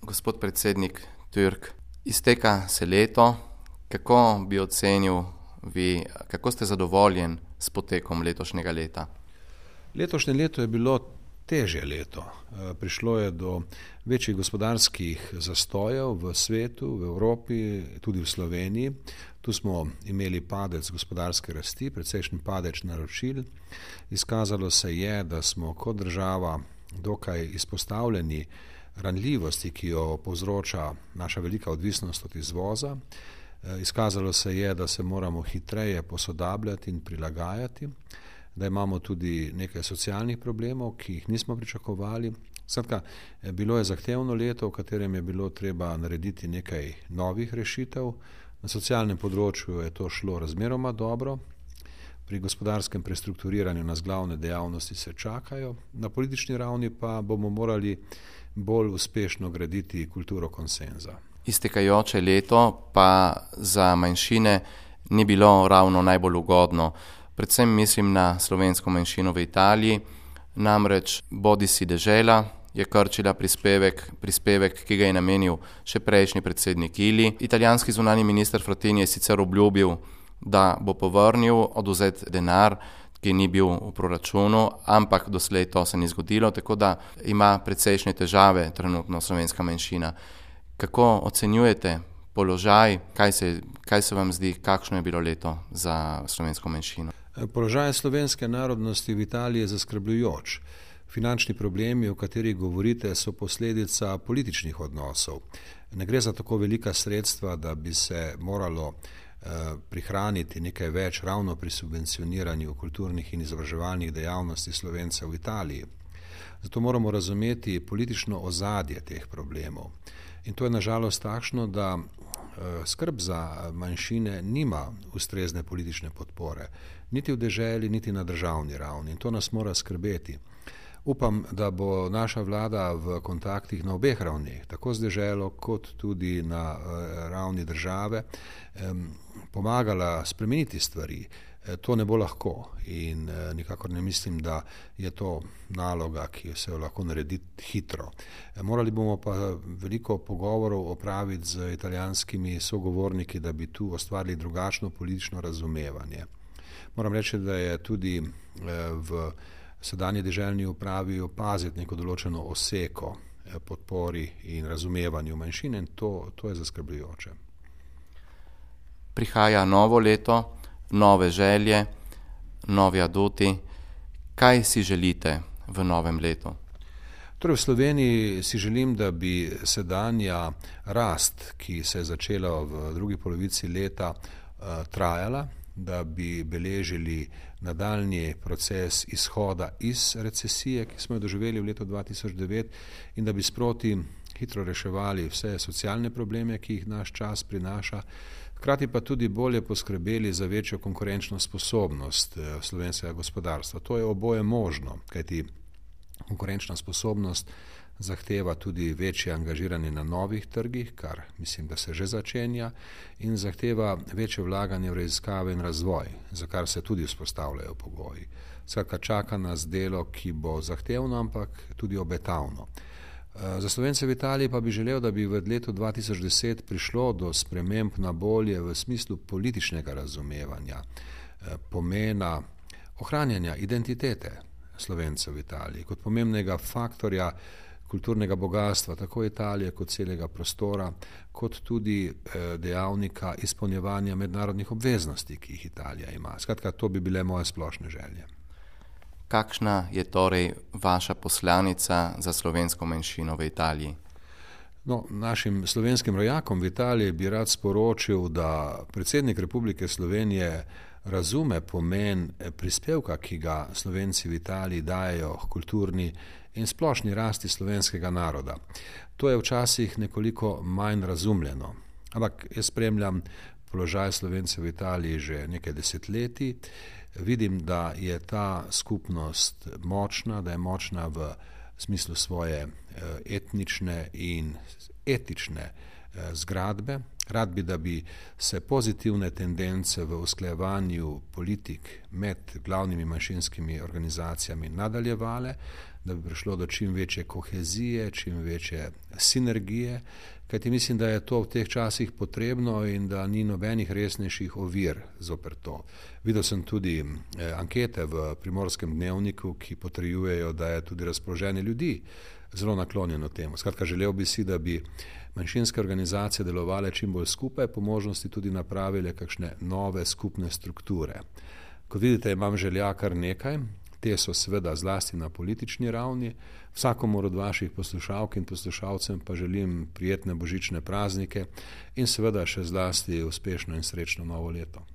Gospod predsednik Türk, izteka se leto. Kako bi ocenil vi, kako ste zadovoljen s potekom letošnjega leta? Letošnje leto je bilo težje leto. Prišlo je do večjih gospodarskih zastojev v svetu, v Evropi, tudi v Sloveniji. Tu smo imeli padec gospodarske rasti, precejšnji padec naročil. Izkazalo se je, da smo kot država dokaj izpostavljeni ranljivosti, ki jo povzroča naša velika odvisnost od izvoza. Izkazalo se je, da se moramo hitreje posodabljati in prilagajati, da imamo tudi nekaj socialnih problemov, ki jih nismo pričakovali. Skratka, bilo je zahtevno leto, v katerem je bilo treba narediti nekaj novih rešitev. Na socialnem področju je to šlo razmeroma dobro. Pri gospodarskem prestrukturiranju nas glavne dejavnosti se čakajo. Na politični ravni pa bomo morali bolj uspešno graditi kulturo konsenza. Iztekajoče leto pa za manjšine ni bilo ravno najbolj ugodno. Predvsem mislim na slovensko manjšino v Italiji, namreč bodisi dežela je krčila prispevek, ki ga je namenil še prejšnji predsednik Ili. Italijanski zunanji minister Frattini je sicer obljubil, da bo povrnil odvzet denar, ki ni bil v proračunu, ampak doslej to se ni zgodilo, tako da ima precejšnje težave trenutno slovenska manjšina. Kako ocenjujete položaj, kaj se vam zdi, kakšno je bilo leto za slovensko manjšino? Položaj slovenske narodnosti v Italiji je zaskrbljujoč. Finančni problemi, o katerih govorite, so posledica političnih odnosov. Ne gre za tako velika sredstva, da bi se moralo prihraniti nekaj več ravno pri subvencioniranju kulturnih in izobraževalnih dejavnosti Slovencev v Italiji. Zato moramo razumeti politično ozadje teh problemov. In to je nažalost takšno, da skrb za manjšine nima ustrezne politične podpore, niti v deželi, niti na državni ravni. In to nas mora skrbeti. Upam, da bo naša vlada v kontaktih na obeh ravneh, tako z deželo kot tudi na ravni države, pomagala spremeniti stvari. To ne bo lahko in nikakor ne mislim, da je to naloga, ki se jo lahko naredi hitro. Morali bomo pa veliko pogovorov opraviti z italijanskimi sogovorniki, da bi tu ustvarili drugačno politično razumevanje. Moram reči, da je tudi v sedanji deželni upravi opaziti neko določeno oseko podpori in razumevanju manjšine in to je zaskrbljujoče. Prihaja novo leto, nove želje, novi aduti. Kaj si želite v novem letu? Torej v Sloveniji si želim, da bi sedanja rast, ki se je začela v drugi polovici leta, trajala, da bi beležili nadaljnji proces izhoda iz recesije, ki smo jo doživeli v letu 2009 in da bi sproti hitro reševali vse socialne probleme, ki jih naš čas prinaša, hkrati pa tudi bolje poskrbeli za večjo konkurenčno sposobnost slovenskega gospodarstva. To je oboje možno, kajti konkurenčna sposobnost zahteva tudi večje angažiranje na novih trgih, kar mislim, da se že začenja, in zahteva večje vlaganje v raziskave in razvoj, za kar se tudi vzpostavljajo pogoji. Skratka, čaka nas delo, ki bo zahtevno, ampak tudi obetavno. Za Slovence v Italiji pa bi želel, da bi v letu 2010 prišlo do sprememb na bolje v smislu političnega razumevanja, pomena ohranjanja identitete Slovencev v Italiji kot pomembnega faktorja kulturnega bogatstva tako Italije kot celega prostora, kot tudi dejavnika izpolnjevanja mednarodnih obveznosti, ki jih Italija ima. Skratka, to bi bile moje splošne želje. Kakšna je torej vaša poslanica za slovensko manjšino v Italiji? Našim slovenskim rojakom v Italiji bi rad sporočil, da predsednik Republike Slovenije razume pomen prispevka, ki ga Slovenci v Italiji dajejo kulturni in splošni rasti slovenskega naroda. To je včasih nekoliko manj razumljeno, ampak jaz spremljam položaj Slovencev v Italiji že nekaj desetletij. Vidim, da je ta skupnost močna, da je močna v smislu svoje etnične in etične zgradbe. Rad bi, da bi se pozitivne tendence v usklajevanju politik med glavnimi manjšinskimi organizacijami nadaljevale, da bi prišlo do čim večje kohezije, čim večje sinergije, kajti mislim, da je to v teh časih potrebno in da ni nobenih resnejših ovir zoper to. Videl sem tudi ankete v Primorskem dnevniku, ki potrjujejo, da je tudi razpoloženje ljudi zelo naklonjeno temu. Skratka, želel bi si, da bi manjšinske organizacije delovale čim bolj skupaj, po možnosti tudi napravile kakšne nove skupne strukture. Kot vidite, imam želja kar nekaj. Te so seveda zlasti na politični ravni. Vsakomur od vaših poslušalk in poslušalcem pa želim prijetne božične praznike in seveda še zlasti uspešno in srečno novo leto.